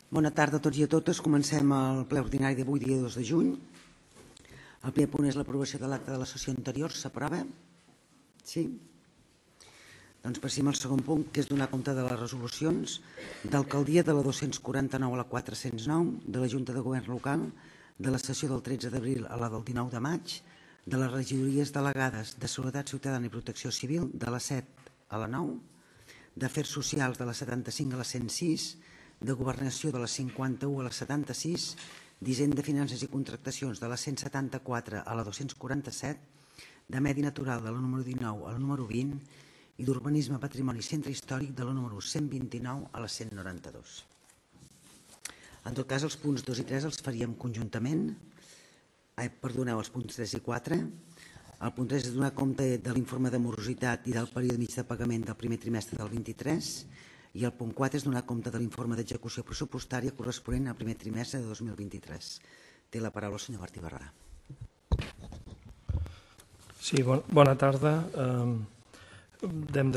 Bona tarda a tots i a totes. Comencem el ple ordinari d'avui, dia 2 de juny. El primer punt és l'aprovació de l'acte de la sessió anterior. S'aprova? Sí? Doncs passem al segon punt, que és donar compte de les resolucions d'alcaldia de la 249 a la 409, de la Junta de Govern Local, de la sessió del 13 d'abril a la del 19 de maig, de les regidories delegades de Seguretat Ciutadana i Protecció Civil, de la 7 a la 9, d'Afers Socials de la 75 a la 106, de Governació de la 51 a la 76, d'Hisenda, Finances i Contractacions de la 174 a la 247, de Medi Natural de la número 19 a la número 20 i d'Urbanisme, Patrimoni i Centre Històric de la número 129 a la 192. En tot cas, els punts 2 i 3 els faríem conjuntament. Perdoneu, els punts 3 i 4. El punt 3 és donar compte de l'informe de morositat i del període mig de pagament del primer trimestre del 23 i el punt 4 és donar compte de l'informe d'execució pressupostària corresponent al primer trimestre de 2023. Té la paraula el senyor Martí Barberà. Sí, bona tarda. Hem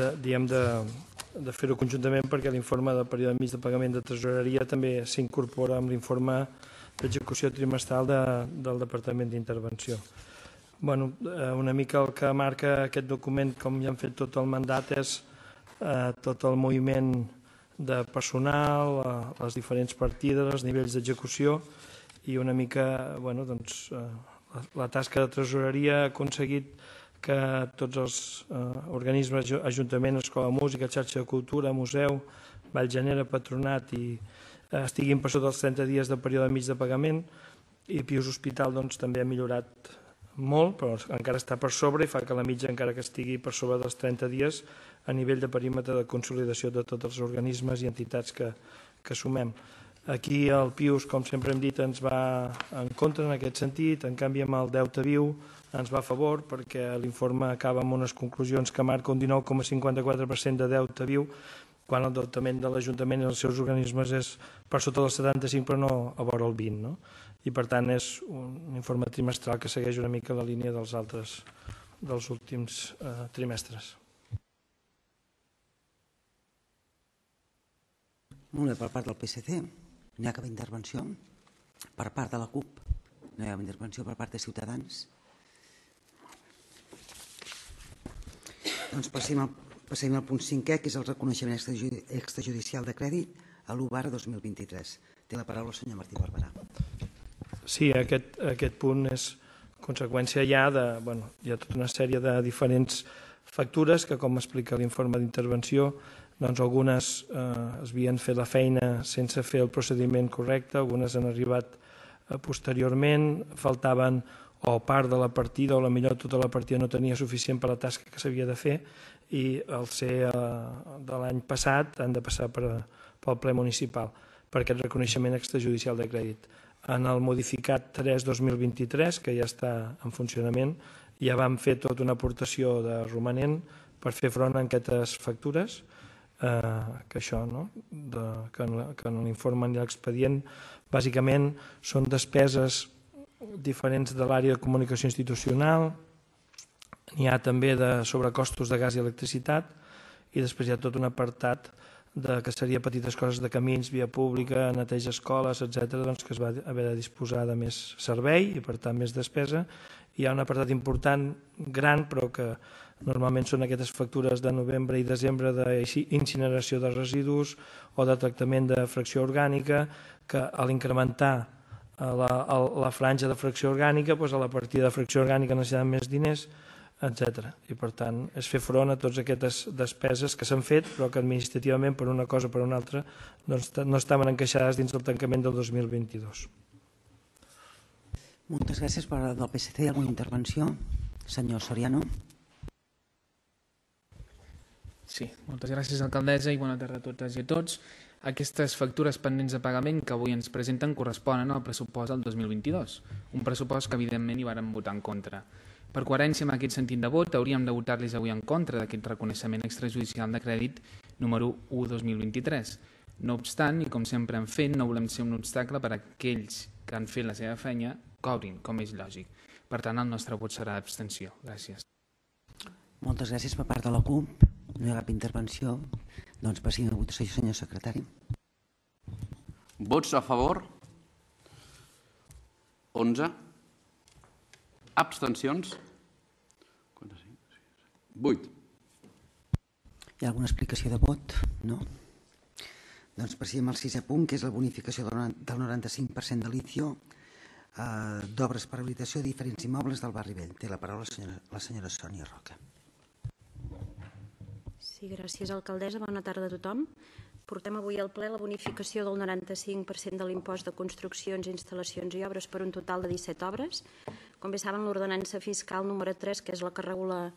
de fer-ho conjuntament perquè l'informe del període mig de pagament de tresoreria també s'incorpora amb l'informe d'execució trimestral del Departament d'Intervenció. Una mica el que marca aquest document, com ja hem fet tot el mandat, és tot el moviment de personal, les diferents partides, els nivells d'execució i una mica la tasca de tresoreria ha aconseguit que tots els organismes, Ajuntament, Escola de Música, Xarxa de Cultura, Museu, Vallgenera, Patronat estiguin per sota dels 30 dies de període mig de pagament i Pius Hospital també ha millorat molt, però encara està per sobre i fa que la mitja encara que estigui per sobre dels 30 dies a nivell de perímetre de consolidació de tots els organismes i entitats que sumem. Aquí el Pius, com sempre hem dit, ens va en contra en aquest sentit, en canvi amb el deute viu ens va a favor perquè l'informe acaba amb unes conclusions que marca un 19,54% de deute viu quan el deutament de l'Ajuntament i els seus organismes és per sota del 75 però no a vora el 20, no? I per tant és un informe trimestral que segueix una mica la línia dels últims trimestres. Molt bé, per part del PSC no hi ha cap intervenció. Per part de la CUP no hi ha cap intervenció. Per part de Ciutadans. Doncs passem al punt 5è, que és el reconeixement extrajudicial de crèdit a l'1/2023. Té la paraula el senyor Martí Barberà. Sí, aquest punt és conseqüència ja hi ha tota una sèrie de diferents factures que, com explica l'informe d'intervenció, algunes es havien fet la feina sense fer el procediment correcte, algunes han arribat posteriorment, faltaven o part de la partida o potser tota la partida no tenia suficient per la tasca que s'havia de fer i al ser de l'any passat han de passar pel ple municipal per aquest reconeixement extrajudicial de crèdit. En el modificat 3-2023, que ja està en funcionament, ja vam fer tota una aportació de romanent per fer front a aquestes factures, que això, que en l'informe i l'expedient, bàsicament són despeses diferents de l'àrea de comunicació institucional, n'hi ha també de sobrecostos de gas i electricitat i després hi ha tot un apartat que seria petites coses de camins, via pública, neteja escoles, etc., que es va haver de disposar de més servei i per tant més despesa. Hi ha un apartat important, gran, però que normalment són aquestes factures de novembre i desembre d'incineració de residus o de tractament de fracció orgànica, que a l'incrementar la franja de fracció orgànica, a la partida de fracció orgànica necessiten més diners, etc. I per tant és fer front a totes aquestes despeses que s'han fet però que administrativament per una cosa o per una altra no estaven encaixades dins del tancament del 2022. Moltes gràcies. Per part del PSC, alguna intervenció? Senyor Soriano. Sí, moltes gràcies, alcaldessa, i bona tarda a totes i a tots. Aquestes factures pendents de pagament que avui ens presenten corresponen al pressupost del 2022, un pressupost que evidentment hi vàrem votar en contra. Per coherència amb aquest sentit de vot, hauríem de votar-los avui en contra d'aquest reconeixement extrajudicial de crèdit número 1/2023. No obstant, i com sempre hem fet, no volem ser un obstacle per a aquells que han fet la seva feina cobrin, com és lògic. Per tant, el nostre vot serà d'abstenció. Gràcies. Moltes gràcies. Per part de la CUP no hi ha cap intervenció. Doncs passem a votació, senyor secretari. Vots a favor? 11. Abstencions? 8. Hi ha alguna explicació de vot? No? Doncs passem al 6è punt, que és la bonificació del 95% de litio d'obres per habilitació de diferents immobles del barri vell. Té la paraula la senyora Sònia Roca. Sí, gràcies, alcaldessa. Bona tarda a tothom. Portem avui al ple la bonificació del 95% de l'impost de construccions, instal·lacions i obres per un total de 17 obres. Com bé saben, l'ordenança fiscal número 3, que és la que regula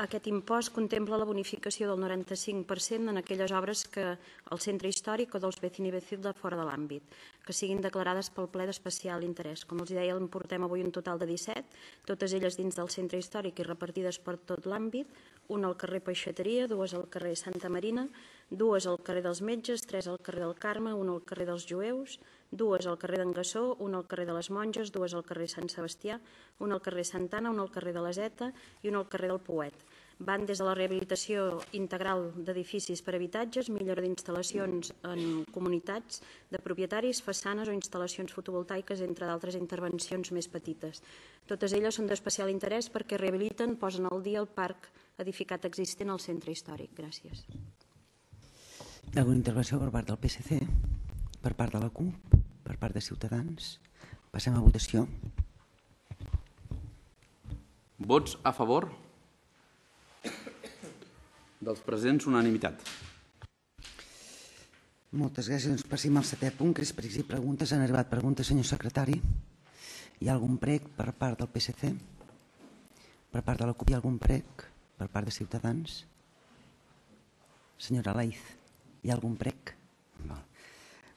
aquest impost, contempla la bonificació del 95% en aquelles obres que el centre històric o dels vecini vecil de fora de l'àmbit, que siguin declarades pel ple d'especial interès. Com els deia, en portem avui un total de 17, totes elles dins del centre històric i repartides per tot l'àmbit, una al carrer Peixateria, dues al carrer Santa Marina, dues al carrer dels Metges, tres al carrer del Carme, una al carrer dels Jueus, dues al carrer d'en Gassó, una al carrer de les Monges, dues al carrer Sant Sebastià, una al carrer Santana, una al carrer de la Zeta i una al carrer del Pouet. Van des de la rehabilitació integral d'edificis per habitatges, millora d'instal·lacions en comunitats de propietaris, façanes o instal·lacions fotovoltaiques, entre d'altres intervencions més petites. Totes elles són d'especial interès perquè rehabiliten, posen al dia el parc edificat existent al centre històric. Gràcies. Hi ha alguna intervenció per part del PSC, per part de la CUP, per part de Ciutadans? Passem a votació. Vots a favor? Dels presents, unanimitat. Moltes gràcies. Doncs passem al 7è punt, que és pregs i preguntes. Han arribat preguntes, senyor secretari. Hi ha algun prec per part del PSC? Per part de la CUP hi ha algun prec? Per part de Ciutadans? Senyora Laiz, hi ha algun prec?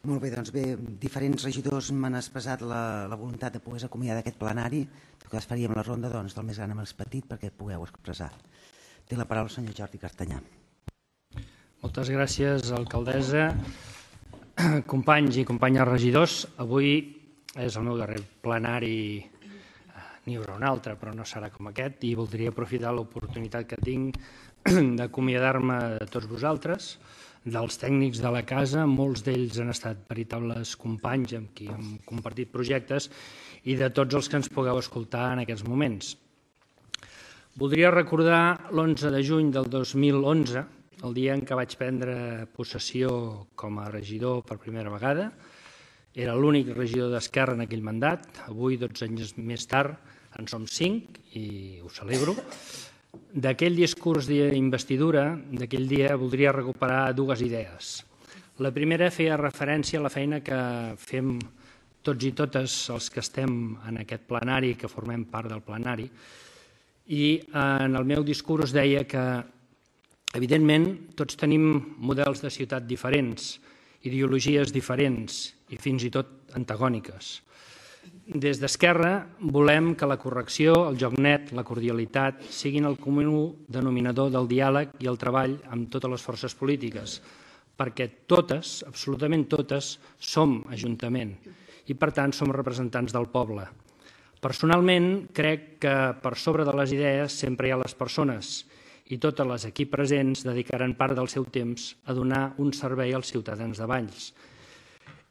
Molt bé, doncs bé, diferents regidors m'han expressat la voluntat de poder acomiadar d'aquest plenari, que es faríem la ronda del més gran amb el més petit perquè pugueu expressar. Té la paraula el senyor Jordi Cartanyà. Moltes gràcies, alcaldessa. Companys i companyes regidors, avui és el meu darrer plenari, n'hi haurà un altre, però no serà com aquest, i voldria aprofitar l'oportunitat que tinc d'acomiadar-me de tots vosaltres, dels tècnics de la casa, molts d'ells han estat veritables companys amb qui hem compartit projectes, i de tots els que ens pugueu escoltar en aquests moments. Voldria recordar l'11 de juny del 2011, el dia en què vaig prendre possessió com a regidor per primera vegada. Era l'únic regidor d'Esquerra en aquell mandat. Avui, 12 anys més tard, en som 5 i ho celebro. D'aquell discurs d'investidura, d'aquell dia, voldria recuperar dues idees. La primera feia referència a la feina que fem tots i totes els que estem en aquest plenari, que formem part del plenari, i en el meu discurs deia que, evidentment, tots tenim models de ciutat diferents, ideologies diferents i fins i tot antagòniques. Des d'Esquerra volem que la correcció, el joc net, la cordialitat siguin el comú denominador del diàleg i el treball amb totes les forces polítiques, perquè totes, absolutament totes, som Ajuntament i, per tant, som representants del poble. Personalment, crec que per sobre de les idees sempre hi ha les persones i totes les aquí presents dedicaran part del seu temps a donar un servei als ciutadans de Valls.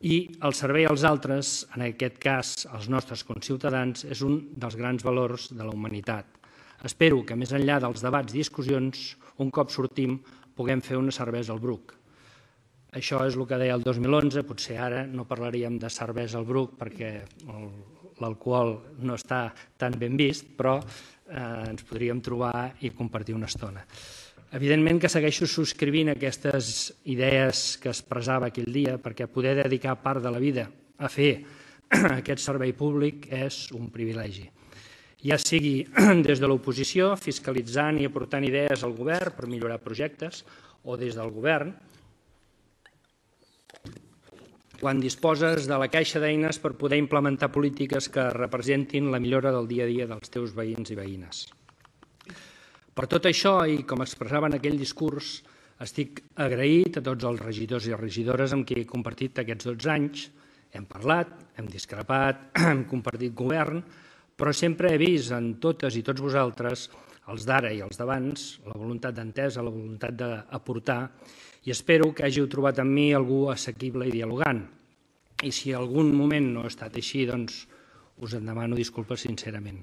I el servei als altres, en aquest cas als nostres conciutadans, és un dels grans valors de la humanitat. Espero que més enllà dels debats i discussions, un cop sortim, puguem fer una cervesa al Bruc. Això és el que deia el 2011, potser ara no parlaríem de cervesa al Bruc perquè l'alcohol no està tan ben vist, però ens podríem trobar i compartir una estona. Evidentment que segueixo subscrivint aquestes idees que expressava aquell dia, perquè poder dedicar part de la vida a fer aquest servei públic és un privilegi. Ja sigui des de l'oposició, fiscalitzant i aportant idees al govern per millorar projectes, o des del govern, quan disposes de la caixa d'eines per poder implementar polítiques que representin la millora del dia a dia dels teus veïns i veïnes. Per tot això, i com expressava en aquell discurs, estic agraït a tots els regidors i regidores amb qui he compartit aquests 12 anys. Hem parlat, hem discrepat, hem compartit govern, però sempre he vist en totes i tots vosaltres, els d'ara i els d'abans, la voluntat d'entesa, la voluntat d'aportar, i espero que hàgiu trobat en mi algú assequible i dialogant. i si algun moment no ha estat així, doncs us en demano disculpes sincerament.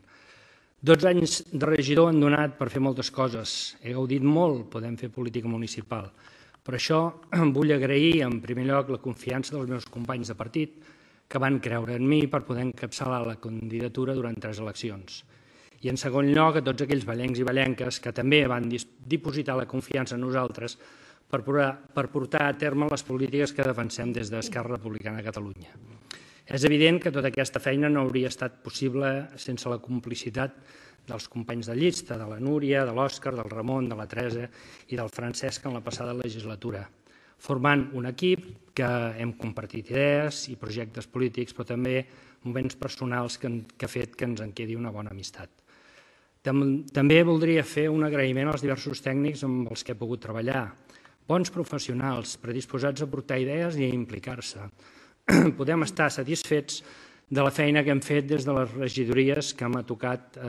12 anys de regidor han donat per fer moltes coses. He gaudit molt, podem fer política municipal. Per això vull agrair en primer lloc la confiança dels meus companys de partit que van creure en mi per poder encapçalar la candidatura durant 3 eleccions. I en segon lloc a tots aquells vallencs i vallenques que també van dipositar la confiança en nosaltres per portar a terme les polítiques que defensem des d'Esquerra Republicana de Catalunya. És evident que tota aquesta feina no hauria estat possible sense la complicitat dels companys de llista, de la Núria, de l'Òscar, del Ramon, de la Teresa i del Francesc en la passada legislatura, formant un equip que hem compartit idees i projectes polítics, però també moments personals que ha fet que ens en quedi una bona amistat. També voldria fer un agraïment als diversos tècnics amb els que he pogut treballar, bons professionals, predisposats a aportar idees i a implicar-se. Podem estar satisfets de la feina que hem fet des de les regidories que m'ha tocat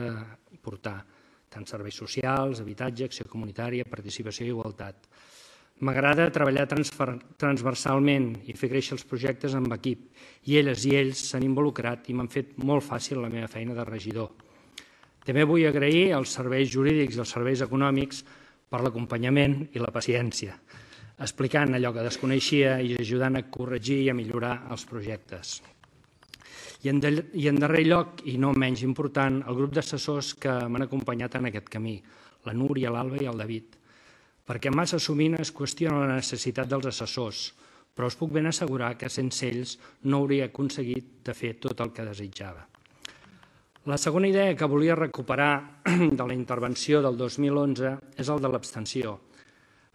portar, tant serveis socials, habitatge, acció comunitària, participació i igualtat. M'agrada treballar transversalment i fer créixer els projectes amb equip, i elles i ells s'han involucrat i m'han fet molt fàcil la meva feina de regidor. També vull agrair als serveis jurídics i als serveis econòmics per l'acompanyament i la paciència, explicant allò que desconeixia i ajudant a corregir i a millorar els projectes. I en darrer lloc, i no menys important, el grup d'assessors que m'han acompanyat en aquest camí, la Núria, l'Alba i el David, perquè massa sovint es qüestiona la necessitat dels assessors, però us puc ben assegurar que sense ells no hauria aconseguit de fer tot el que desitjava. La segona idea que volia recuperar de la intervenció del 2011 és el de l'abstenció.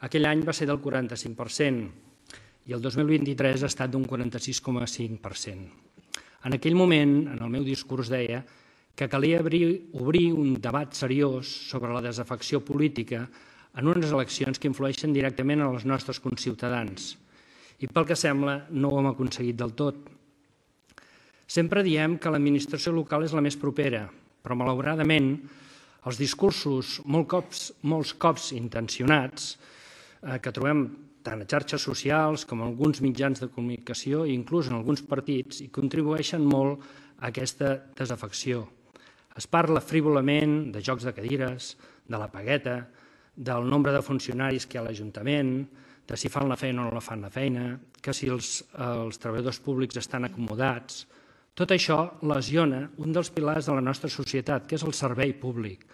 Aquell any va ser del 45% i el 2023 ha estat d'un 46,5%. En aquell moment, en el meu discurs deia que calia obrir un debat seriós sobre la desafecció política en unes eleccions que influeixen directament en els nostres conciutadans. I pel que sembla, no ho hem aconseguit del tot. Sempre diem que l'administració local és la més propera, però malauradament els discursos molts cops intencionats que trobem tant a xarxes socials com a alguns mitjans de comunicació i inclús en alguns partits i contribueixen molt a aquesta desafecció. Es parla frívolament de jocs de cadires, de la pagueta, del nombre de funcionaris que hi ha a l'Ajuntament, de si fan la feina o no fan la feina, que si els treballadors públics estan acomodats. Tot això lesiona un dels pilars de la nostra societat, que és el servei públic.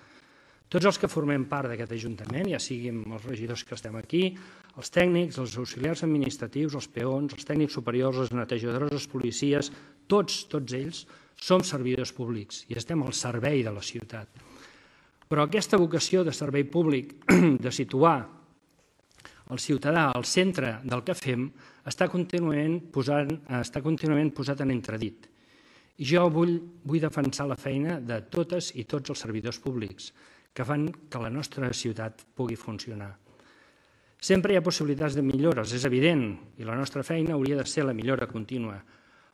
Tots els que formem part d'aquest Ajuntament, ja siguin els regidors que estem aquí, els tècnics, els auxiliars administratius, els peons, els tècnics superiors, les netejadores, els policies, tots ells som servidors públics i estem al servei de la ciutat. Però aquesta vocació de servei públic, de situar el ciutadà al centre del que fem, està contínuament posat en entredit. I jo vull defensar la feina de totes i tots els servidors públics que fan que la nostra ciutat pugui funcionar. Sempre hi ha possibilitats de millores, és evident, i la nostra feina hauria de ser la millora contínua,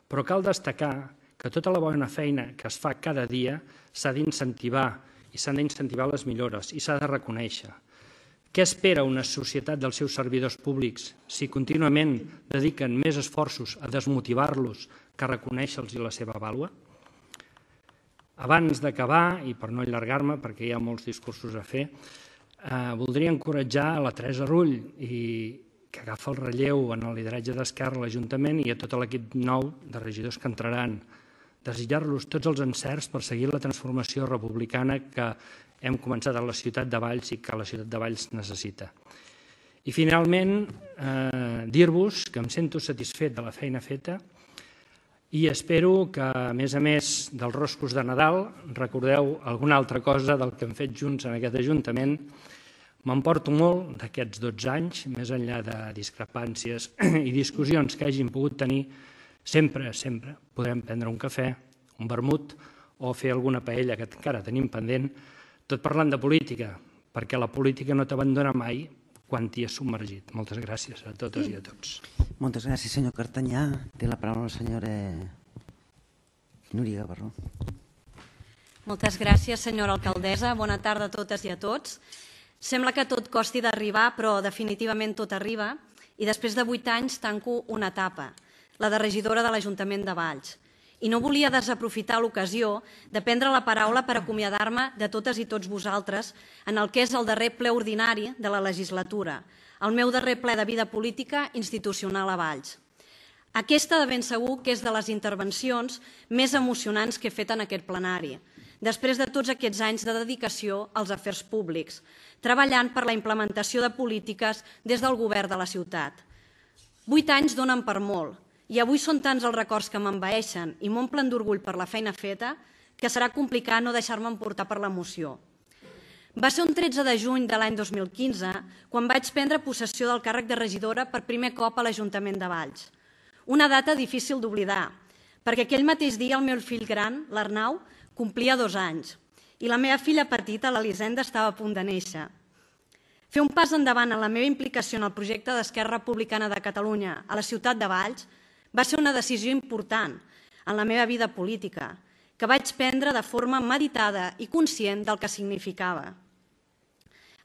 però cal destacar que tota la bona feina que es fa cada dia s'ha d'incentivar i s'han d'incentivar les millores i s'ha de reconèixer. Què espera una societat dels seus servidors públics si contínuament dediquen més esforços a desmotivar-los que a reconèixer-los la seva vàlua? Abans d'acabar, i per no allargar-me perquè hi ha molts discursos a fer, voldria encoratjar la Teresa Rull, que agafa el relleu en el lideratge d'Esquerra a l'Ajuntament i a tot l'equip nou de regidors que entraran. Desitjar-los tots els encerts per seguir la transformació republicana que hem començat a la ciutat de Valls i que la ciutat de Valls necessita. I finalment, dir-vos que em sento satisfet de la feina feta i espero que, a més dels roscos de Nadal, recordeu alguna altra cosa del que hem fet junts en aquest Ajuntament. M'emporto molt d'aquests 12 anys, més enllà de discrepàncies i discussions que hagin pogut tenir, sempre podrem prendre un cafè, un vermut o fer alguna paella que encara tenim pendent, tot parlant de política, perquè la política no t'abandona mai quan t'hi has submergit. Moltes gràcies a totes i a tots. Moltes gràcies, senyor Cartanyà. Té la paraula la senyora Núria Gavarró. Moltes gràcies, senyora alcaldessa. Bona tarda a totes i a tots. Sembla que tot costi d'arribar, però definitivament tot arriba. I després de 8 anys tanco una etapa. la de regidora de l'Ajuntament de Valls. I no volia desaprofitar l'ocasió de prendre la paraula per acomiadar-me de totes i tots vosaltres en el que és el darrer ple ordinari de la legislatura, el meu darrer ple de vida política institucional a Valls. Aquesta de ben segur que és de les intervencions més emocionants que he fet en aquest plenari, després de tots aquests anys de dedicació als afers públics, treballant per la implementació de polítiques des del govern de la ciutat. 8 anys donen per molt, i avui són tants els records que m'envaeixen i m'omplen d'orgull per la feina feta que serà complicat no deixar-me emportar per l'emoció. Va ser un 13 de juny de l'any 2015 quan vaig prendre possessió del càrrec de regidora per primer cop a l'Ajuntament de Valls. Una data difícil d'oblidar, perquè aquell mateix dia el meu fill gran, l'Arnau, complia 2 anys i la meva filla petita, l'Elisenda, estava a punt de néixer. Fer un pas endavant en la meva implicació en el projecte d'Esquerra Republicana de Catalunya a la ciutat de Valls va ser una decisió important en la meva vida política, que vaig prendre de forma meditada i conscient del que significava.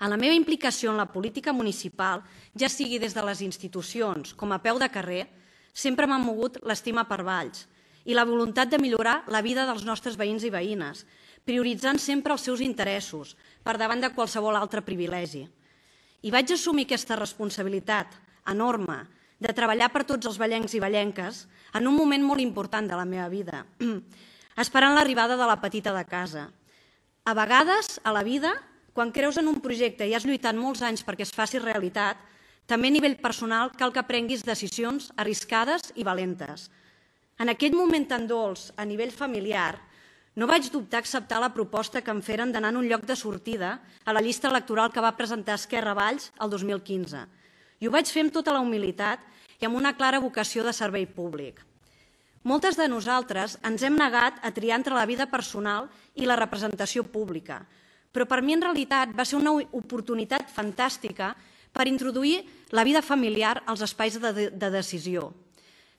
En la meva implicació en la política municipal, ja sigui des de les institucions com a peu de carrer, sempre m'ha mogut l'estima per Valls i la voluntat de millorar la vida dels nostres veïns i veïnes, prioritzant sempre els seus interessos per davant de qualsevol altre privilegi. I vaig assumir aquesta responsabilitat enorme de treballar per tots els vallencs i vallenques en un moment molt important de la meva vida, esperant l'arribada de la petita de casa. A vegades, a la vida, quan creus en un projecte i has lluitat molts anys perquè es faci realitat, també a nivell personal cal que prenguis decisions arriscades i valentes. En aquell moment tan dolç, a nivell familiar, no vaig dubtar a acceptar la proposta que em feren d'anar en un lloc de sortida a la llista electoral que va presentar Esquerra Valls el 2015. I ho vaig fer amb tota la humilitat i amb una clara vocació de servei públic. Moltes de nosaltres ens hem negat a triar entre la vida personal i la representació pública, però per mi en realitat va ser una oportunitat fantàstica per introduir la vida familiar als espais de decisió.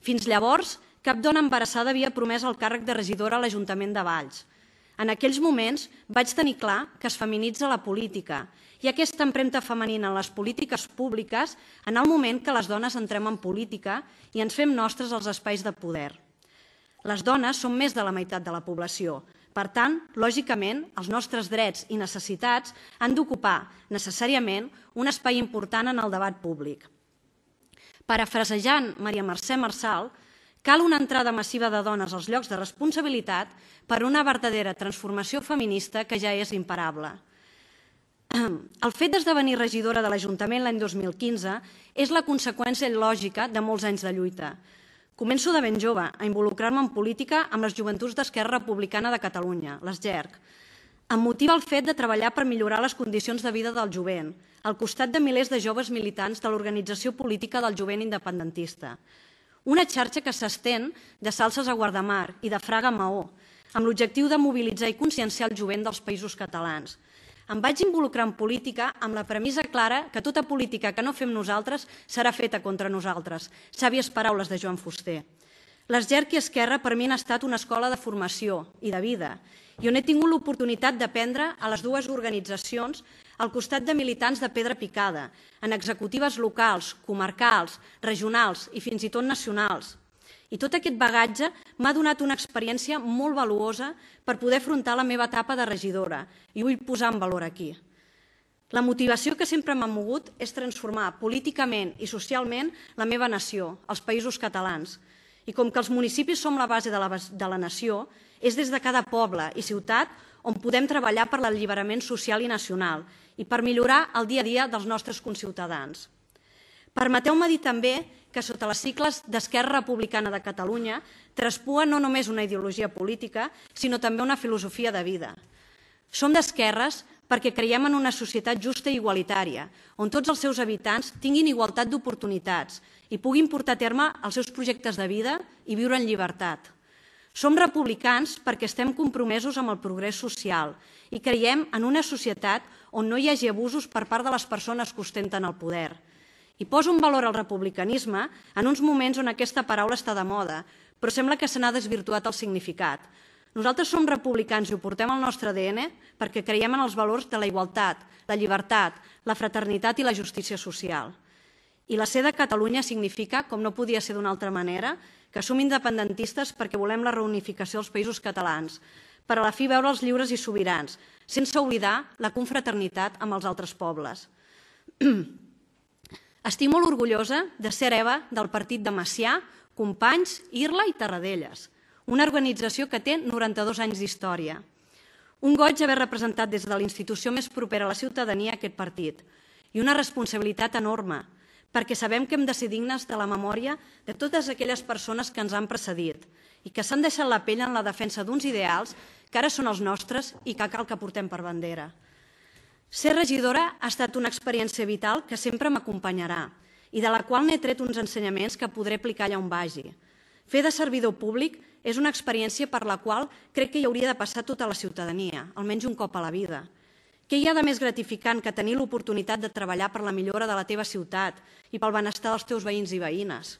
Fins llavors, cap dona embarassada havia promès el càrrec de regidora a l'Ajuntament de Valls. En aquells moments vaig tenir clar que es feminitza la política i aquesta empremta femenina en les polítiques públiques en el moment que les dones entrem en política i ens fem nostres els espais de poder. Les dones són més de la meitat de la població. Per tant, lògicament, els nostres drets i necessitats han d'ocupar necessàriament un espai important en el debat públic. Parafrasejant Maria Mercè Marçal, cal una entrada massiva de dones als llocs de responsabilitat per a una verdadera transformació feminista que ja és imparable. El fet d'esdevenir regidora de l'Ajuntament l'any 2015 és la conseqüència lògica de molts anys de lluita. Començo de ben jove a involucrar-me en política amb les joventuts d'Esquerra Republicana de Catalunya, les GERC. Em motiva el fet de treballar per millorar les condicions de vida del jovent, al costat de milers de joves militants de l'organització política del jovent independentista. Una xarxa que s'estén de Salses a Guardamar i de Fraga a Maó, amb l'objectiu de mobilitzar i conscienciar el jovent dels països catalans. Em vaig involucrar en política amb la premissa clara que tota política que no fem nosaltres serà feta contra nosaltres. Sàvies paraules de Joan Fuster. Les GERC i Esquerra per mi han estat una escola de formació i de vida i on he tingut l'oportunitat d'aprendre a les dues organitzacions al costat de militants de pedra picada, en executives locals, comarcals, regionals i fins i tot nacionals. I tot aquest bagatge m'ha donat una experiència molt valuosa per poder afrontar la meva etapa de regidora i vull posar en valor aquí. La motivació que sempre m'ha mogut és transformar políticament i socialment la meva nació, els països catalans. I com que els municipis som la base de la nació, és des de cada poble i ciutat on podem treballar per l'alliberament social i nacional i per millorar el dia a dia dels nostres conciutadans. Permeteu-me dir també que sota les sigles d'Esquerra Republicana de Catalunya traspua no només una ideologia política, sinó també una filosofia de vida. Som d'esquerres perquè creiem en una societat justa i igualitària, on tots els seus habitants tinguin igualtat d'oportunitats i puguin portar a terme els seus projectes de vida i viure en llibertat. Som republicans perquè estem compromesos amb el progrés social i creiem en una societat on no hi hagi abusos per part de les persones que ostenten el poder. I poso en valor el republicanisme en uns moments on aquesta paraula està de moda, però sembla que se n'ha desvirtuat el significat. Nosaltres som republicans i ho portem al nostre ADN perquè creiem en els valors de la igualtat, la llibertat, la fraternitat i la justícia social. I la C de Catalunya significa, com no podia ser d'una altra manera, que som independentistes perquè volem la reunificació dels països catalans, per a la fi veure'ls lliures i sobirans, sense oblidar la confraternitat amb els altres pobles. Estic molt orgullosa de ser hereva del partit de Macià, Companys, Irla i Tarradellas, una organització que té 92 anys d'història. Un goig haver representat des de la institució més propera a la ciutadania aquest partit i una responsabilitat enorme, perquè sabem que hem de ser dignes de la memòria de totes aquelles persones que ens han precedit i que s'han deixat la pell en la defensa d'uns ideals que ara són els nostres i que cal que portem per bandera. Ser regidora ha estat una experiència vital que sempre m'acompanyarà i de la qual n'he tret uns ensenyaments que podré aplicar allà on vagi. Fer de servidor públic és una experiència per la qual crec que hi hauria de passar tota la ciutadania, almenys un cop a la vida. Què hi ha de més gratificant que tenir l'oportunitat de treballar per la millora de la teva ciutat i pel benestar dels teus veïns i veïnes?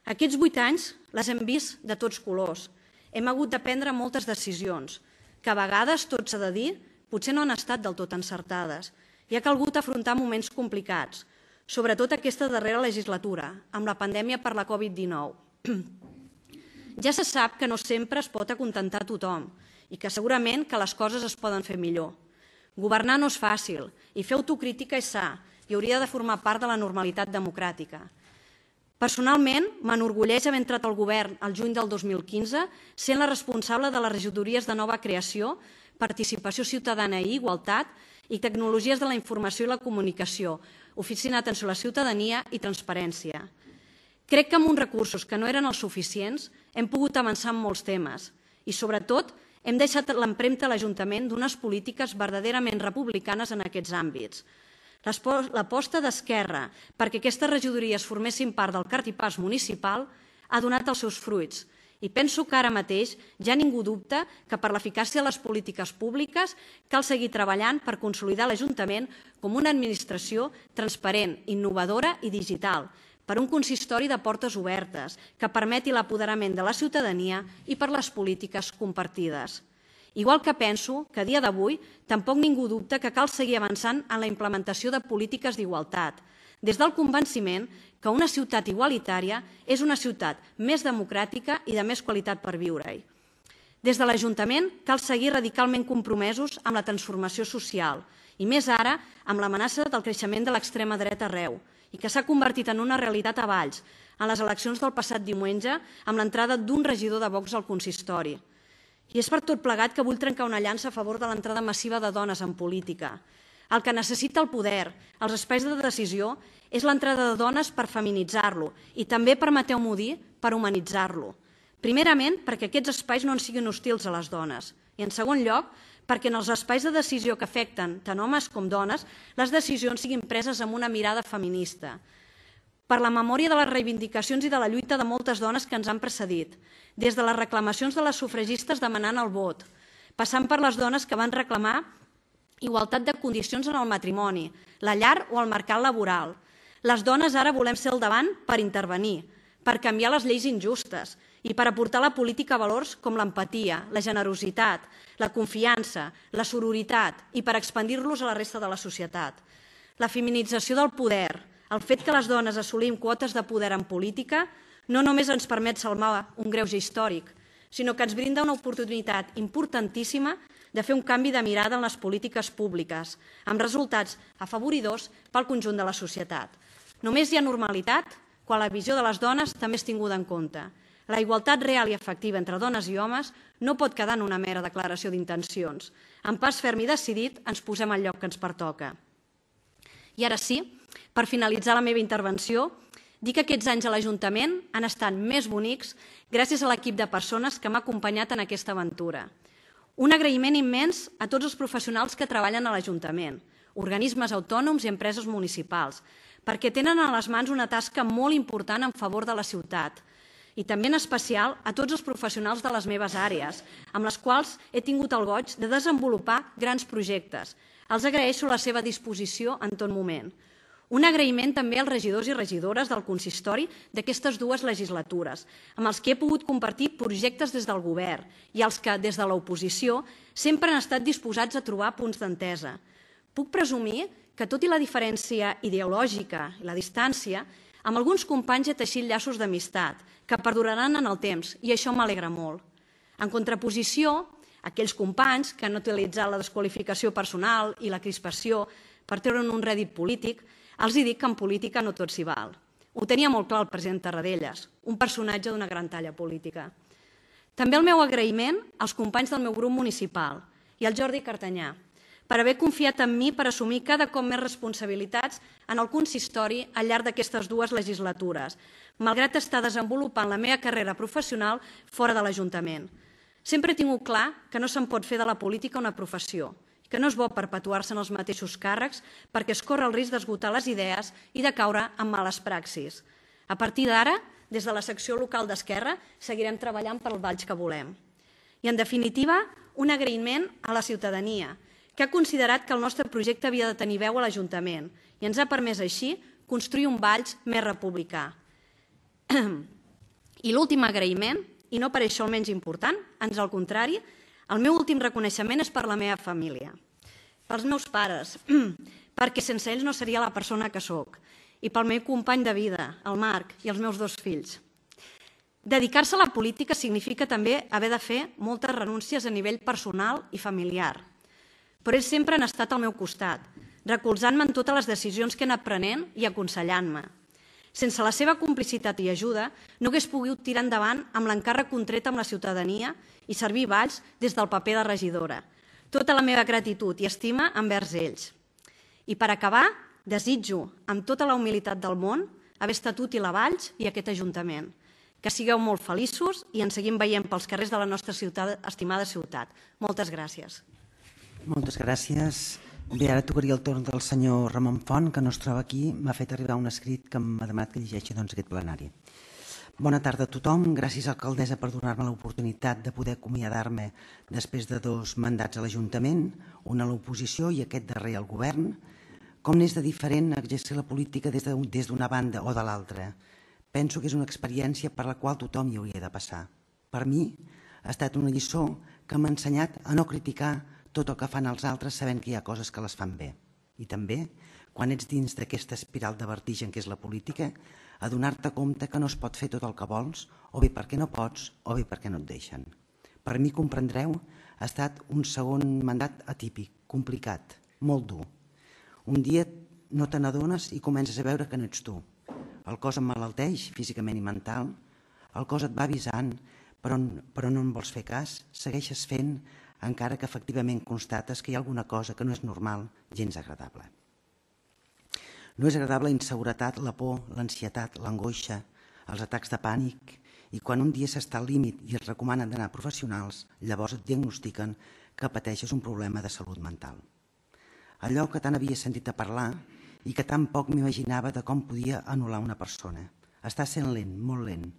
Aquests 8 anys les hem vist de tots colors. Hem hagut de prendre moltes decisions, que a vegades, tot s'ha de dir, potser no han estat del tot encertades i ha calgut afrontar moments complicats, sobretot aquesta darrera legislatura, amb la pandèmia per la Covid-19. Ja se sap que no sempre es pot acontentar tothom i que segurament que les coses es poden fer millor. Governar no és fàcil i fer autocrítica és sa i hauria de formar part de la normalitat democràtica. Personalment, m'enorgulleix haver entrat al govern el juny del 2015 sent la responsable de les regidories de nova creació, participació ciutadana i igualtat i tecnologies de la informació i la comunicació, oficina d'atenció a la ciutadania i transparència. Crec que amb uns recursos que no eren els suficients hem pogut avançar en molts temes i, sobretot, hem deixat l'empremta a l'Ajuntament d'unes polítiques verdaderament republicanes en aquests àmbits. L'aposta d'Esquerra perquè aquestes regidories formessin part del cartipàs municipal ha donat els seus fruits i penso que ara mateix ja ningú dubta que per l'eficàcia de les polítiques públiques cal seguir treballant per consolidar l'Ajuntament com una administració transparent, innovadora i digital, per un consistori de portes obertes que permeti l'apoderament de la ciutadania i per les polítiques compartides. Igual que penso que a dia d'avui tampoc ningú dubta que cal seguir avançant en la implementació de polítiques d'igualtat, des del convenciment que una ciutat igualitària és una ciutat més democràtica i de més qualitat per viure-hi. Des de l'Ajuntament cal seguir radicalment compromesos amb la transformació social i més ara amb l'amenaça del creixement de l'extrema dreta arreu i que s'ha convertit en una realitat a Valls en les eleccions del passat diumenge amb l'entrada d'un regidor de Vox al consistori. I és per tot plegat que vull trencar una llança a favor de l'entrada massiva de dones en política. El que necessita el poder, els espais de decisió, és l'entrada de dones per feminitzar-lo i també, permeteu-m'ho dir, per humanitzar-lo. Primerament, perquè aquests espais no en siguin hostils a les dones. I en segon lloc, perquè en els espais de decisió que afecten tant homes com dones, les decisions siguin preses amb una mirada feminista. Per la memòria de les reivindicacions i de la lluita de moltes dones que ens han precedit, des de les reclamacions de les sufragistes demanant el vot, passant per les dones que van reclamar igualtat de condicions en el matrimoni, la llar o el mercat laboral. Les dones ara volem ser al davant per intervenir, per canviar les lleis injustes i per aportar a la política valors com l'empatia, la generositat, la confiança, la sororitat i per expandir-los a la resta de la societat. La feminització del poder, el fet que les dones assolim quotes de poder en política no només ens permet salvar un greuge històric, sinó que ens brinda una oportunitat importantíssima de fer un canvi de mirada en les polítiques públiques, amb resultats afavoridors pel conjunt de la societat. Només hi ha normalitat quan la visió de les dones també és tinguda en compte. La igualtat real i efectiva entre dones i homes no pot quedar en una mera declaració d'intencions. Amb pas ferm i decidit ens posem al lloc que ens pertoca. I ara sí, per finalitzar la meva intervenció, dir que aquests anys a l'Ajuntament han estat més bonics gràcies a l'equip de persones que m'ha acompanyat en aquesta aventura. Un agraïment immens a tots els professionals que treballen a l'Ajuntament, organismes autònoms i empreses municipals, perquè tenen a les mans una tasca molt important en favor de la ciutat, i també en especial a tots els professionals de les meves àrees, amb les quals he tingut el goig de desenvolupar grans projectes. Els agraeixo la seva disposició en tot moment. Un agraïment també als regidors i regidores del consistori d'aquestes dues legislatures, amb els que he pogut compartir projectes des del govern i als que, des de l'oposició, sempre han estat disposats a trobar punts d'entesa. puc presumir que, tot i la diferència ideològica i la distància, amb alguns companys he teixit llaços d'amistat que perduraran en el temps i això m'alegra molt. En contraposició, aquells companys que han utilitzat la desqualificació personal i la crispació per treure'n un rèdit polític, els dic que en política no tot s'hi val. Ho tenia molt clar el president Tarradellas, un personatge d'una gran talla política. També el meu agraïment als companys del meu grup municipal i al Jordi Cartanyà per haver confiat en mi per assumir cada cop més responsabilitats en el consistori al llarg d'aquestes 2 legislatures, malgrat estar desenvolupant la meva carrera professional fora de l'Ajuntament. Sempre he tingut clar que no se'n pot fer de la política una professió, que no és bo perpetuar-se en els mateixos càrrecs perquè es corre el risc d'esgotar les idees i de caure en males praxis. A partir d'ara, des de la secció local d'Esquerra, seguirem treballant per al Valls que volem. I, en definitiva, un agraïment a la ciutadania, que ha considerat que el nostre projecte havia de tenir veu a l'Ajuntament i ens ha permès així construir un Valls més republicà. I l'últim agraïment, i no per això el menys important, ans al contrari, el meu últim reconeixement és per la meva família, pels meus pares, perquè sense ells no seria la persona que sóc, i pel meu company de vida, el Marc, i els meus 2 fills. Dedicar-se a la política significa també haver de fer moltes renúncies a nivell personal i familiar, però ells sempre han estat al meu costat, recolzant-me en totes les decisions que he anat prenent i aconsellant-me. Sense la seva complicitat i ajuda, no hagués pogut tirar endavant amb l'encàrrec contret amb la ciutadania i servir Valls des del paper de regidora. Tota la meva gratitud i estima envers ells. I per acabar, desitjo, amb tota la humilitat del món, haver estat útil a Valls i a aquest Ajuntament. Que sigueu molt feliços i ens seguim veient pels carrers de la nostra estimada ciutat. Moltes gràcies. Moltes gràcies. Bé, ara tocaria el torn del senyor Ramon Font, que no es troba aquí. M'ha fet arribar un escrit que m'ha demanat que llegeixi aquest plenari. Bona tarda a tothom. Gràcies, alcaldessa, per donar-me l'oportunitat de poder acomiadar-me després de 2 mandats a l'Ajuntament, un a l'oposició i aquest darrer al govern. Com n'és de diferent exercir la política des d'una banda o de l'altra? Penso que és una experiència per la qual tothom hi hauria de passar. Per mi ha estat una lliçó que m'ha ensenyat a no criticar tot el que fan els altres sabent que hi ha coses que les fan bé. I també, quan ets dins d'aquesta espiral de vertigen que és la política, a donar-te compte que no es pot fer tot el que vols, o bé perquè no pots, o bé perquè no et deixen. Per mi, comprendreu, ha estat un segon mandat atípic, complicat, molt dur. Un dia no te n'adones i comences a veure que no ets tu. El cos emmalalteix físicament i mental, el cos et va avisant, però no en vols fer cas, segueixes fent, encara que efectivament constates que hi ha alguna cosa que no és normal, gens agradable. No és agradable la inseguretat, la por, l'ansietat, l'angoixa, els atacs de pànic, i quan un dia s'està al límit i es recomanen d'anar a professionals, llavors et diagnostiquen que pateixes un problema de salut mental. Allò que tant havia sentit a parlar i que tan poc m'imaginava de com podia anul·lar una persona. Està sent lent, molt lent,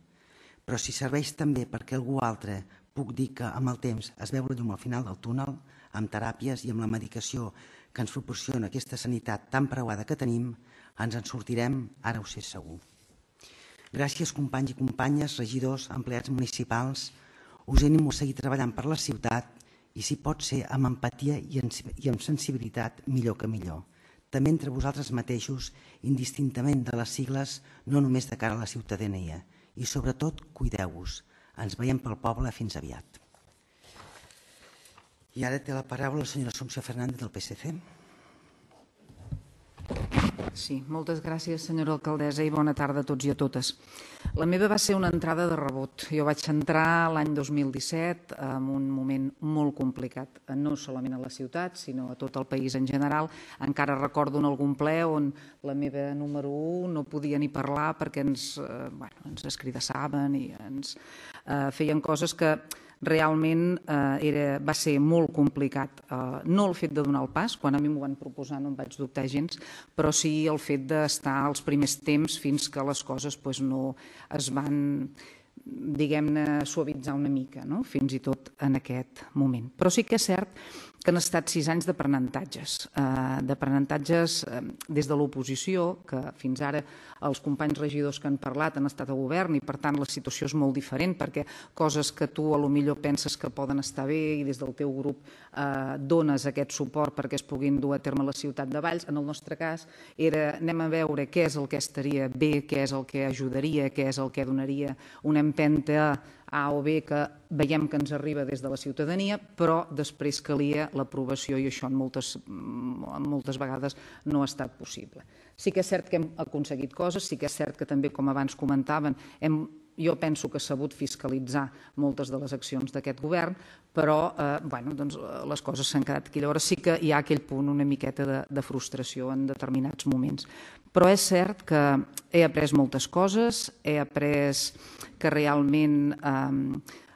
però si serveix també perquè algú altre puc dir que amb el temps es veu la llum al final del túnel, amb teràpies i amb la medicació que ens proporciona aquesta sanitat tan preuada que tenim, ens en sortirem, ara ho sé segur. Gràcies, companys i companyes, regidors, empleats municipals. Us animo a seguir treballant per la ciutat i, si pot ser, amb empatia i amb sensibilitat, millor que millor. També entre vosaltres mateixos, indistintament de les sigles, no només de cara a la ciutadania. I, sobretot, cuideu-vos. Ens veiem pel poble. Fins aviat. I ara té la paraula la senyora Assumpció Fernández del PSC. Sí, moltes gràcies, senyora alcaldessa, i bona tarda a tots i a totes. La meva va ser una entrada de rebot. Jo vaig entrar l'any 2017 en un moment molt complicat, no solament a la ciutat, sinó a tot el país en general. Encara recordo en algun ple on la meva número 1 no podia ni parlar perquè ens escridassaven i ens feien coses que realment va ser molt complicat. No el fet de donar el pas, quan a mi m'ho van proposar no em vaig dubtar gens, però sí el fet d'estar als primers temps fins que les coses no es van, diguem-ne, suavitzar una mica, fins i tot en aquest moment. Però sí que és cert que han estat 6 anys d'aprenentatges des de l'oposició, que fins ara els companys regidors que han parlat han estat a govern i per tant la situació és molt diferent perquè coses que tu a lo millor penses que poden estar bé i des del teu grup dones aquest suport perquè es puguin dur a terme a la ciutat de Valls. En el nostre cas era anem a veure què és el que estaria bé, què és el que ajudaria, què és el que donaria una empenta A o B que veiem que ens arriba des de la ciutadania, però després calia l'aprovació i això moltes vegades no ha estat possible. Sí que és cert que hem aconseguit coses, sí que és cert que també, com abans comentaven, jo penso que s'ha sabut fiscalitzar moltes de les accions d'aquest govern, però les coses s'han quedat aquí. Llavors sí que hi ha aquell punt una miqueta de frustració en determinats moments. Però és cert que he après moltes coses, he après que realment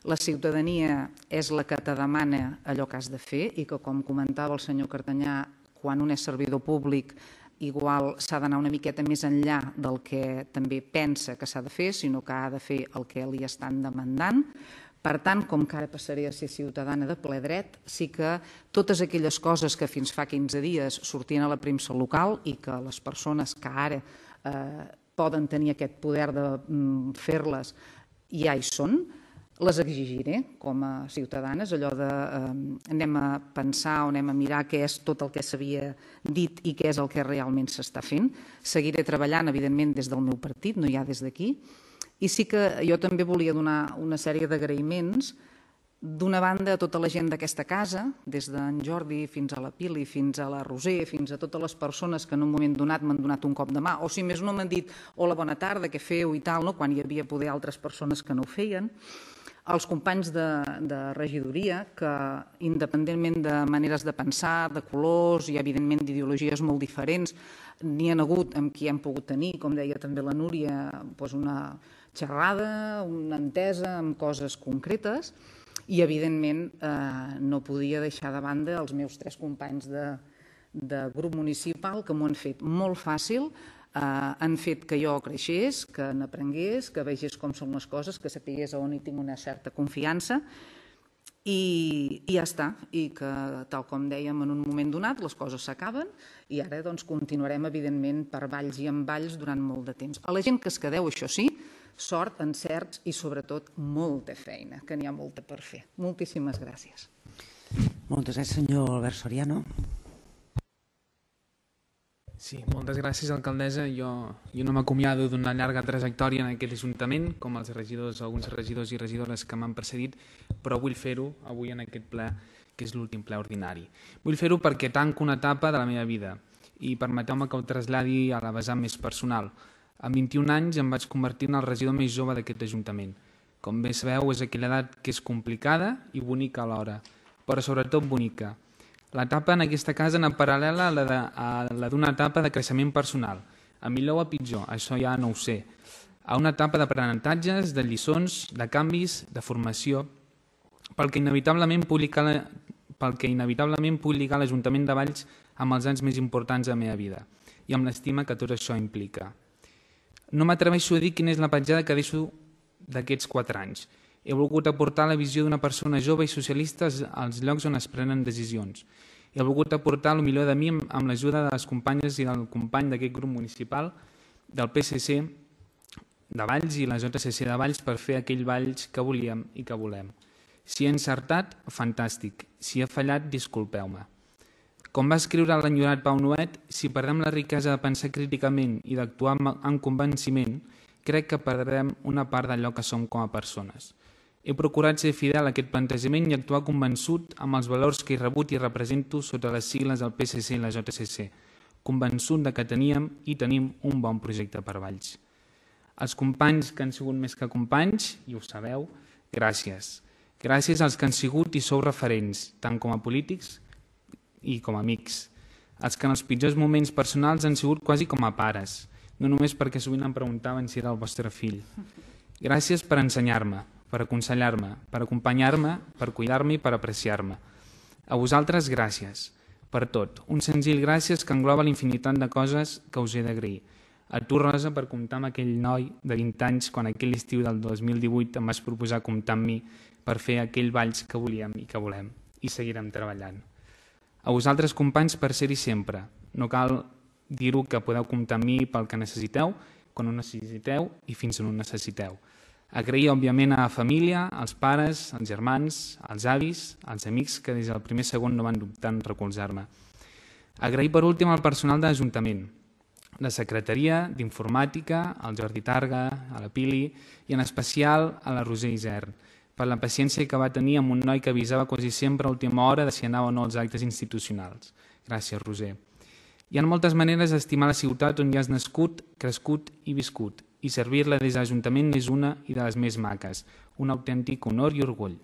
la ciutadania és la que te demana allò que has de fer i que, com comentava el senyor Cartanyà, quan un és servidor públic igual s'ha d'anar una miqueta més enllà del que també pensa que s'ha de fer, sinó que ha de fer el que li estan demandant. Per tant, com que ara passaré a ser ciutadana de ple dret, sí que totes aquelles coses que fins fa 15 dies sortien a la premsa local i que les persones que ara poden tenir aquest poder de fer-les ja hi són, les exigiré com a ciutadanes, allò de anem a pensar o anem a mirar què és tot el que s'havia dit i què és el que realment s'està fent. Seguiré treballant, evidentment, des del meu partit, no ja des d'aquí. I sí que jo també volia donar una sèrie d'agraïments, d'una banda a tota la gent d'aquesta casa, des d'en Jordi fins a la Pili, fins a la Roser, fins a totes les persones que en un moment donat m'han donat un cop de mà, o si més no m'han dit hola, bona tarda, què feu i tal, quan hi havia poder altres persones que no ho feien. Els companys de regidoria, que independentment de maneres de pensar, de colors i evidentment d'ideologies molt diferents, n'hi ha hagut amb qui hem pogut tenir, com deia també la Núria, una xerrada, una entesa amb coses concretes i evidentment no podia deixar de banda els meus 3 companys de grup municipal que m'ho han fet molt fàcil, han fet que jo creixés, que n'aprengués, que vegés com són les coses, que sapigués on hi tinc una certa confiança i ja està. I que, tal com dèiem, en un moment donat les coses s'acaben i ara continuarem, evidentment, per valls i en valls durant molt de temps. A la gent que es quedeu, això sí, sort, encerts i, sobretot, molta feina, que n'hi ha molta per fer. Moltíssimes gràcies. Moltes gràcies, senyor Albert Soriano. Sí, moltes gràcies, alcaldessa. Jo no m'acomiado d'una llarga trajectòria en aquest ajuntament, com els regidors, alguns regidors i regidores que m'han precedit, però vull fer-ho avui en aquest ple, que és l'últim ple ordinari. Vull fer-ho perquè tanco una etapa de la meva vida i permeteu-me que ho traslladi a la vessant més personal. Amb 21 anys em vaig convertir en el regidor més jove d'aquest ajuntament. Com bé sabeu, és aquella edat que és complicada i bonica alhora, però sobretot bonica. L'etapa en aquesta casa anava paral·lela a la d'una etapa de creixement personal, a millor o a pitjor, això ja no ho sé, a una etapa d'aprenentatges, de lliçons, de canvis, de formació, pel que inevitablement puc lligar l'Ajuntament de Valls amb els anys més importants de la meva vida i amb l'estima que tot això implica. No m'atreveixo a dir quina és la petjada que deixo d'aquests 4 anys. He volgut aportar la visió d'una persona jove i socialista als llocs on es prenen decisions. He volgut aportar el millor de mi amb l'ajuda de les companyes i del company d'aquest grup municipal, del PSC de Valls i la JCC de Valls per fer aquell Valls que volíem i que volem. Si he encertat, fantàstic. Si he fallat, disculpeu-me. Com va escriure l'enyorat Pau Nuet, si perdem la riquesa de pensar críticament i d'actuar amb convenciment, crec que perdrem una part d'allò que som com a persones. He procurat ser fidel a aquest plantejament i actuar convençut amb els valors que he rebut i represento sota les sigles del PSC i la JCC, convençut que teníem i tenim un bon projecte per Valls. Els companys que han sigut més que companys, i ho sabeu, gràcies. Gràcies als que han sigut i sou referents, tant com a polítics i com a amics. Els que en els pitjors moments personals han sigut quasi com a pares, no només perquè sovint em preguntaven si era el vostre fill. Gràcies per ensenyar-me, per aconsellar-me, per acompanyar-me, per cuidar-me i per apreciar-me. A vosaltres, gràcies. Per tot. Un senzill gràcies que engloba l'infinitat de coses que us he d'agrair. A tu, Rosa, per comptar amb aquell noi de 20 anys quan aquell estiu del 2018 em vas proposar comptar amb mi per fer aquell Valls que volíem i que volem. I seguirem treballant. A vosaltres, companys, per ser-hi sempre. No cal dir-ho que podeu comptar amb mi pel que necessiteu, quan ho necessiteu i fins on ho necessiteu. Agrair, òbviament, a la família, als pares, als germans, als avis, als amics que des del primer segon no van dubtar en recolzar-me. Agrair, per últim, al personal de l'Ajuntament, la secretaria, d'informàtica, al Jordi Targa, a la Pili i en especial a la Roser Isern, per la paciència que va tenir amb un noi que avisava quasi sempre a última hora de si anava o no als actes institucionals. Gràcies, Roser. Hi ha moltes maneres d'estimar la ciutat on hi has nascut, crescut i viscut, i servir-la des de l'Ajuntament n'és una i de les més maques, un autèntic honor i orgull.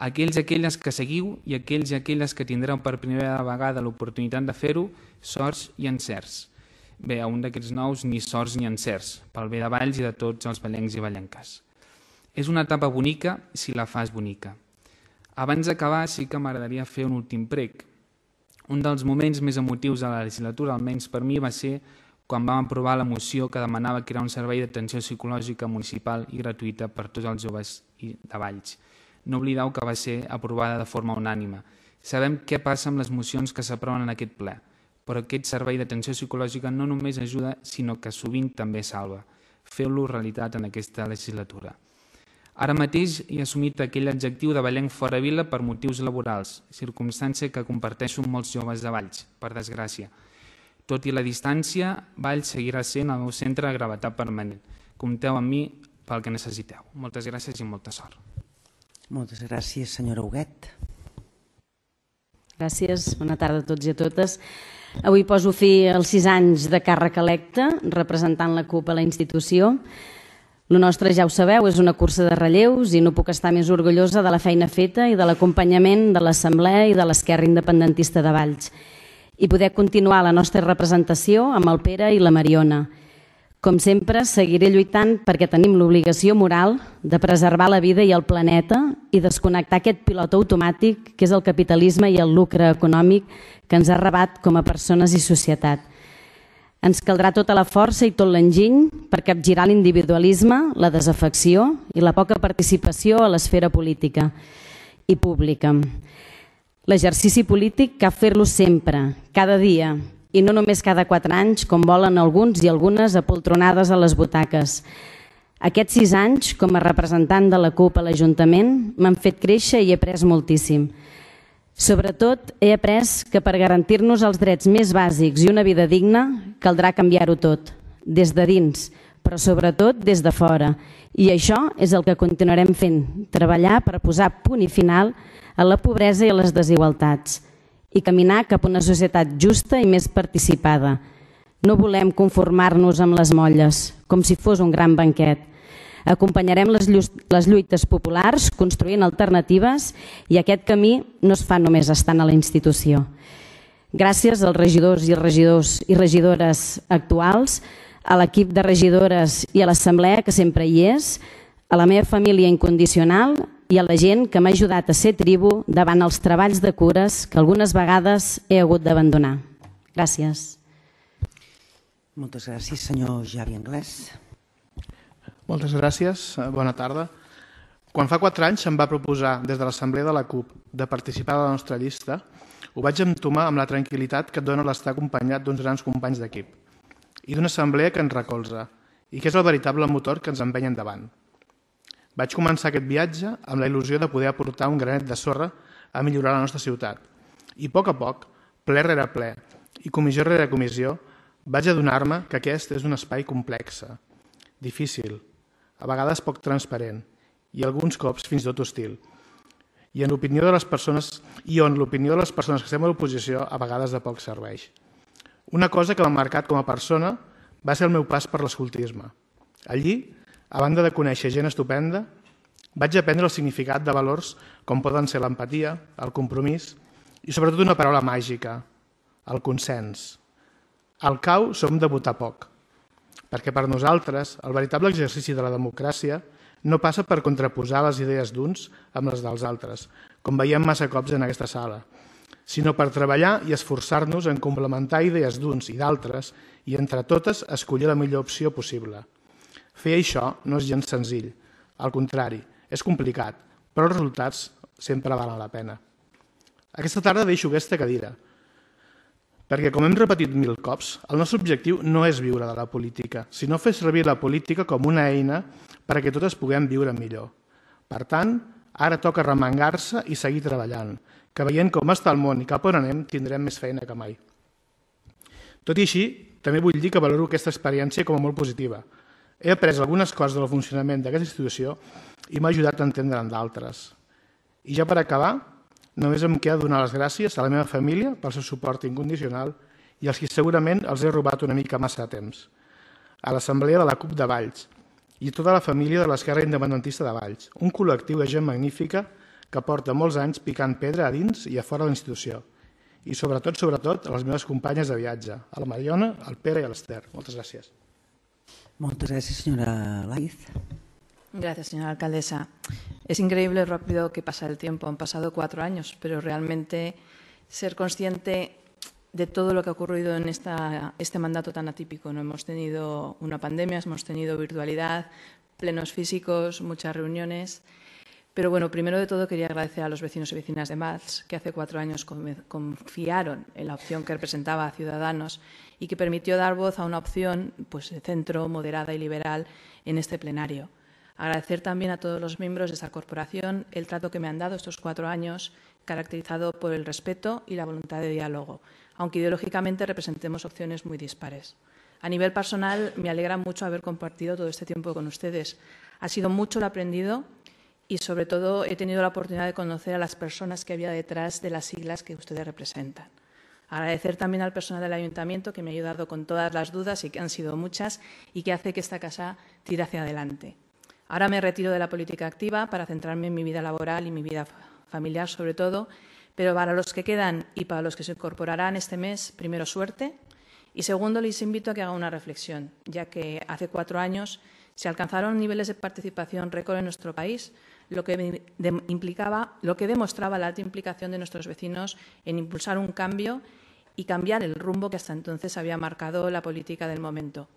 Aquells i aquelles que seguiu i aquells i aquelles que tindreu per primera vegada l'oportunitat de fer-ho, sorts i encerts. Bé, a un d'aquests nous ni sorts ni encerts, pel bé de Valls i de tots els vallencs i vallenques. És una etapa bonica si la fas bonica. Abans d'acabar sí que m'agradaria fer un últim prec. Un dels moments més emotius de la legislatura, almenys per mi, va ser quan vam aprovar la moció que demanava crear un servei d'atenció psicològica municipal i gratuïta per tots els joves de Valls. No oblideu que va ser aprovada de forma unànime. Sabem què passa amb les mocions que s'aproven en aquest ple, però aquest servei d'atenció psicològica no només ajuda, sinó que sovint també salva. Feu-lo realitat en aquesta legislatura. Ara mateix he assumit aquell adjectiu de vallenc fora vila per motius laborals, circumstància que comparteixo amb molts joves de Valls, per desgràcia. Tot i la distància, Valls seguirà sent el meu centre de gravetat permanent. Compteu amb mi pel que necessiteu. Moltes gràcies i molta sort. Moltes gràcies, senyora Huguet. Gràcies, bona tarda a tots i a totes. Avui poso fi als 6 anys de càrrec electe, representant la CUP a la institució. El nostre, ja ho sabeu, és una cursa de relleus i no puc estar més orgullosa de la feina feta i de l'acompanyament de l'Assemblea i de l'Esquerra Independentista de Valls. I poder continuar la nostra representació amb el Pere i la Mariona. Com sempre, seguiré lluitant perquè tenim l'obligació moral de preservar la vida i el planeta i desconnectar aquest pilot automàtic que és el capitalisme i el lucre econòmic que ens ha arrabat com a persones i societat. Ens caldrà tota la força i tot l'enginy per capgirar l'individualisme, la desafecció i la poca participació a l'esfera política i pública. L'exercici polític cal fer-lo sempre, cada dia, i no només cada 4 anys, com volen alguns i algunes apoltronades a les butaques. Aquests 6 anys, com a representant de la CUP a l'Ajuntament, m'han fet créixer i he après moltíssim. Sobretot, he après que per garantir-nos els drets més bàsics i una vida digna, caldrà canviar-ho tot, des de dins, però sobretot des de fora. I això és el que continuarem fent, treballar per posar punt i final a la pobresa i a les desigualtats i caminar cap a una societat justa i més participada. No volem conformar-nos amb les molles, com si fos un gran banquet. Acompanyarem les lluites populars construint alternatives i aquest camí no es fa només estant a la institució. Gràcies als regidors i regidores actuals, a l'equip de regidores i a l'Assemblea, que sempre hi és, a la meva família incondicional i a la gent que m'ha ajudat a ser tribu davant els treballs de cures que algunes vegades he hagut d'abandonar. Gràcies. Moltes gràcies, senyor Javi Anglès. Moltes gràcies, bona tarda. Quan fa 4 anys se'm va proposar des de l'Assemblea de la CUP de participar a la nostra llista, ho vaig entomar amb la tranquil·litat que et dona l'estar acompanyat d'uns grans companys d'equip i d'una assemblea que ens recolza i que és el veritable motor que ens empeny endavant. Vaig començar aquest viatge amb la il·lusió de poder aportar un granet de sorra a millorar la nostra ciutat. I a poc, ple rere ple i comissió rere comissió, vaig adonar-me que aquest és un espai complex, difícil, a vegades poc transparent i alguns cops fins i tot hostil. I on l'opinió de les persones que estem a l'oposició a vegades de poc serveix. Una cosa que m'ha marcat com a persona va ser el meu pas per l'escoltisme. Allí, a banda de conèixer gent estupenda, vaig aprendre el significat de valors com poden ser l'empatia, el compromís i sobretot una paraula màgica, el consens. Al CAU som de votar poc, perquè per nosaltres el veritable exercici de la democràcia no passa per contraposar les idees d'uns amb les dels altres, com veiem massa cops en aquesta sala, sinó per treballar i esforçar-nos en complementar idees d'uns i d'altres i entre totes escollir la millor opció possible. Fer això no és gens senzill, al contrari, és complicat, però els resultats sempre valen la pena. Aquesta tarda deixo aquesta cadira, perquè, com hem repetit 1000 cops, el nostre objectiu no és viure de la política, sinó fer servir la política com una eina perquè totes puguem viure millor. Per tant, ara toca remengar-se i seguir treballant, que veient com està el món i cap on anem, tindrem més feina que mai. Tot i així, també vull dir que valoro aquesta experiència com a molt positiva. He après algunes coses del funcionament d'aquesta institució i m'ha ajudat a entendre'n d'altres. I ja per acabar, només em queda donar les gràcies a la meva família pel seu suport incondicional i als que segurament els he robat una mica massa de temps. A l'Assemblea de la CUP de Valls i a tota la família de l'Esquerra Independentista de Valls, un col·lectiu de gent magnífica que porta molts anys picant pedra a dins i a fora de la institució. I sobretot, a les meves companyes de viatge, a la Mariona, al Pere i a l'Ester. Moltes gràcies. Moltes gràcies, señora Laiz. Gracias, señora alcaldesa. Es increíble lo rápido que pasa el tiempo. Han pasado 4 años, pero realmente ser consciente de todo lo que ha ocurrido en este mandato tan atípico. No hemos tenido una pandemia, hemos tenido virtualidad, plenos físicos, muchas reuniones. Pero bueno, primero de todo quería agradecer a los vecinos y vecinas de Valls, que hace 4 años confiaron en la opción que representaba a Ciudadanos y que permitió dar voz a una opción pues, de centro, moderada y liberal en este plenario. Agradecer también a todos los miembros de esta corporación el trato que me han dado estos 4 años, caracterizado por el respeto y la voluntad de diálogo, aunque ideológicamente representemos opciones muy dispares. A nivel personal, me alegra mucho haber compartido todo este tiempo con ustedes. Ha sido mucho lo aprendido y, sobre todo, he tenido la oportunidad de conocer a las personas que había detrás de las siglas que ustedes representan. Agradecer también al personal del Ayuntamiento que me ha ayudado con todas las dudas y que han sido muchas y que hace que esta casa tire hacia adelante. Ahora me retiro de la política activa para centrarme en mi vida laboral y mi vida familiar, sobre todo, pero para los que quedan y para los que se incorporarán este mes, primero, suerte, y segundo, les invito a que hagan una reflexión, ya que hace 4 años se alcanzaron niveles de participación récord en nuestro país, lo que demostraba la alta implicación de nuestros vecinos en impulsar un cambio y cambiar el rumbo que hasta entonces había marcado la política del momento.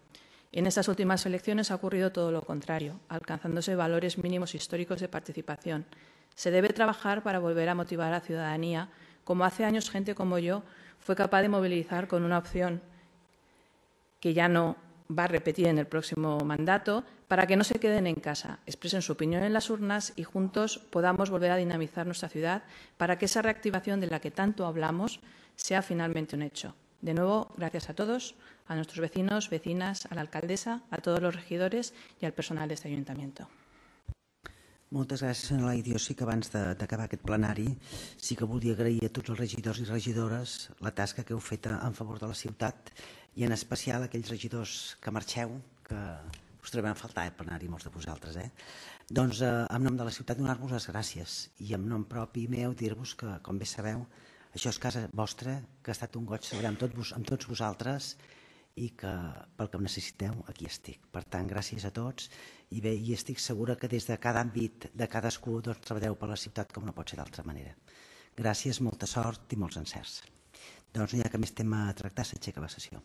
En estas últimas elecciones ha ocurrido todo lo contrario, alcanzándose valores mínimos históricos de participación. Se debe trabajar para volver a motivar a la ciudadanía, como hace años gente como yo fue capaz de movilizar con una opción que ya no va a repetir en el próximo mandato, para que no se queden en casa, expresen su opinión en las urnas y juntos podamos volver a dinamizar nuestra ciudad para que esa reactivación de la que tanto hablamos sea finalmente un hecho. De nuevo, gracias a todos, a nuestros vecinos, vecinas, a la alcaldesa, a todos los regidores y al personal de este ayuntamiento. Moltes gràcies, senyora Laiz. Jo sí que abans d'acabar aquest plenari sí que volia agrair a tots els regidors i regidores la tasca que heu fet en favor de la ciutat i en especial a aquells regidors que marxeu, que us trobem a faltar al plenari, molts de vosaltres. Doncs en nom de la ciutat donar-vos les gràcies i en nom propi meu dir-vos que, com bé sabeu, això és casa vostra, que ha estat un goig treballar amb tots vosaltres i que pel que em necessiteu aquí estic. Per tant, gràcies a tots i bé, i estic segura que des de cada àmbit de cadascú treballeu per la ciutat com no pot ser d'altra manera. Gràcies, molta sort i molts encerts. Doncs no hi ha cap més tema a tractar, s'aixeca la sessió.